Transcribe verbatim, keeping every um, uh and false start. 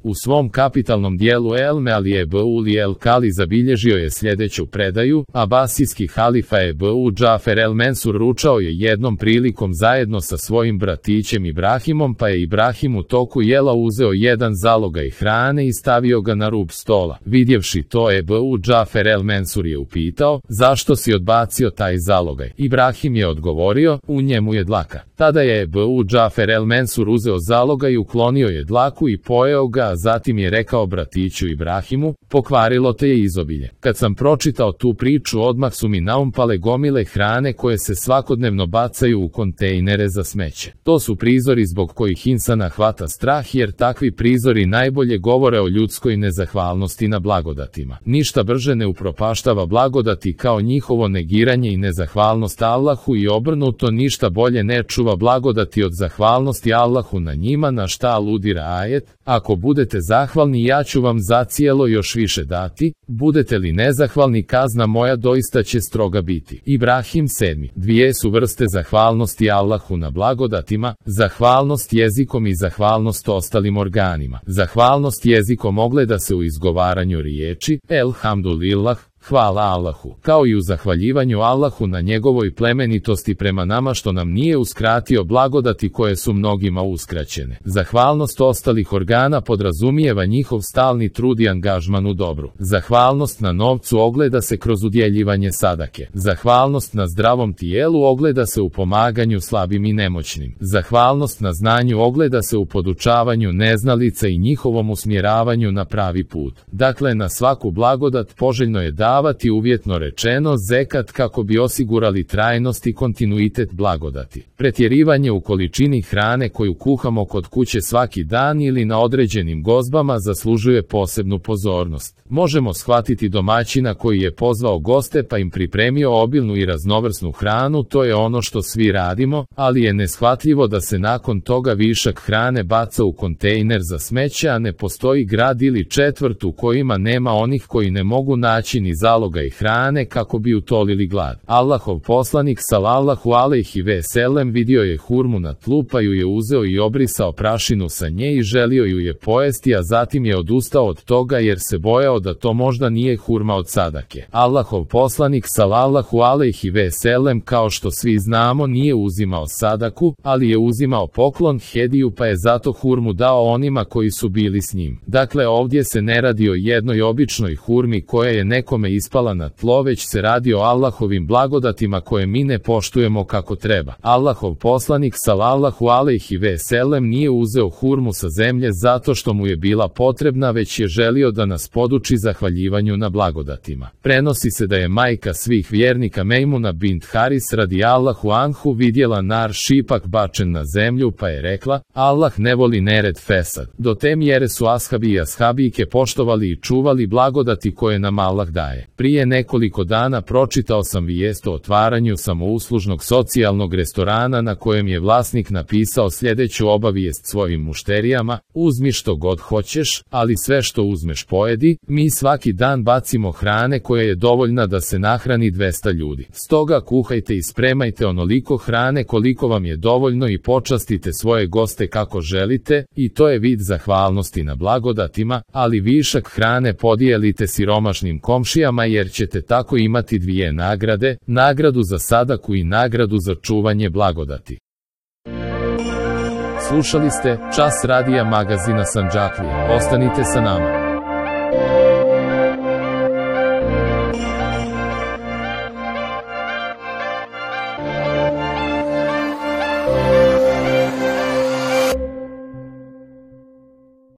U svom kapitalnom dijelu El Meali Ebu El Kali zabilježio je sljedeću predaju: Abasijski halifa Ebu Džafer El Mensur ručao je jednom prilikom zajedno sa svojim bratićem Ibrahimom, pa je Ibrahim u toku jela uzeo jedan zalogaj hrane i stavio ga na rub stola. Vidjevši to, Ebu Džafer El Mensur je upitao: zašto si odbacio taj zalogaj? Ibrahim je odgovorio: u njemu je dlaka. Tada je Ebu Džafer El Mensur uzeo zalogaj, uklonio je dlaku i pojeo ga, a zatim je rekao bratiću Ibrahimu: pokvarilo te je izobilje. Kad sam pročitao tu priču, odmah su mi naumpale gomile hrane koje se svakodnevno bacaju u kontejnere za smeće. To su prizori zbog kojih insana hvata strah, jer takvi prizori najbolje govore o ljudskoj nezahvalnosti na blagodatima. Ništa brže ne upropaštava blagodati kao njihovo negiranje i nezahvalnost Allahu, i obrnuto, ništa bolje ne čuva blagodati od zahvalnosti Allahu na njima, na šta aludira ajet: ako budete zahvalni, ja ću vam zacijelo još više dati, budete li nezahvalni, kazna moja doista će stroga biti. Ibrahim sedmi. Dvije su vrste zahvalnosti Allahu na blagodatima: zahvalnost jezikom i zahvalnost ostalim organima. Zahvalnost jezikom ogleda se u izgovaranju riječi Elhamdulillah, hvala Allahu, kao i u zahvaljivanju Allahu na njegovoj plemenitosti prema nama što nam nije uskratio blagodati koje su mnogima uskraćene. Zahvalnost ostalih organa podrazumijeva njihov stalni trud i angažman u dobru. Zahvalnost na novcu ogleda se kroz udjeljivanje sadake. Zahvalnost na zdravom tijelu ogleda se u pomaganju slabim i nemoćnim. Zahvalnost na znanju ogleda se u podučavanju neznalica i njihovom usmjeravanju na pravi put. Dakle, na svaku blagodat poželjno je davati, uvjetno rečeno, zekat, kako bi osigurali trajnost i kontinuitet blagodati. Pretjerivanje u količini hrane koju kuhamo kod kuće svaki dan ili na određenim gozbama zaslužuje posebnu pozornost. Možemo shvatiti domaćina koji je pozvao goste pa im pripremio obilnu i raznovrsnu hranu, to je ono što svi radimo, ali je neshvatljivo da se nakon toga višak hrane baca u kontejner za smeće, a ne postoji grad ili četvrt u kojima nema onih koji ne mogu naći ni zalogaj hrane kako bi utolili glad. Allahov poslanik sallallahu alejhi ve sellem vidio je hurmu na tlu, pa ju je uzeo i obrisao prašinu sa nje i želio ju je pojesti, a zatim je odustao od toga jer se bojao da to možda nije hurma od sadake. Allahov poslanik sallallahu alejhi ve sellem, kao što svi znamo, nije uzimao sadaku, ali je uzimao poklon, hediju, pa je zato hurmu dao onima koji su bili s njim. Dakle, ovdje se ne radi o jednoj običnoj hurmi koja je nekome ispala na tlo, već se radi o Allahovim blagodatima koje mi ne poštujemo kako treba. Allahov poslanik sallallahu alejhi ve sellem nije uzeo hurmu sa zemlje zato što mu je bila potrebna, već je želio da nas poduči zahvaljivanju na blagodatima. Prenosi se da je majka svih vjernika Mejmuna bint Haris radijallahu anhu vidjela nar šipak bačen na zemlju, pa je rekla: Allah ne voli nered, fesad. Do te mjere su ashabi i ashabijke poštovali i čuvali blagodati koje nam Allah daje. Prije nekoliko dana pročitao sam vijest o otvaranju samouslužnog socijalnog restorana na kojem je vlasnik napisao sljedeću obavijest svojim mušterijama: uzmi što god hoćeš, ali sve što uzmeš pojedi. Mi svaki dan bacimo hrane koja je dovoljna da se nahrani dvesta ljudi. Stoga kuhajte i spremajte onoliko hrane koliko vam je dovoljno i počastite svoje goste kako želite, i to je vid zahvalnosti na blagodatima, ali višak hrane podijelite siromašnim komšijama, jer ćete tako imati dvije nagrade, nagradu za sadaku i nagradu za čuvanje blagodati. Slušali ste Čas radija magazina Sandžaklije. Ostanite sa nama.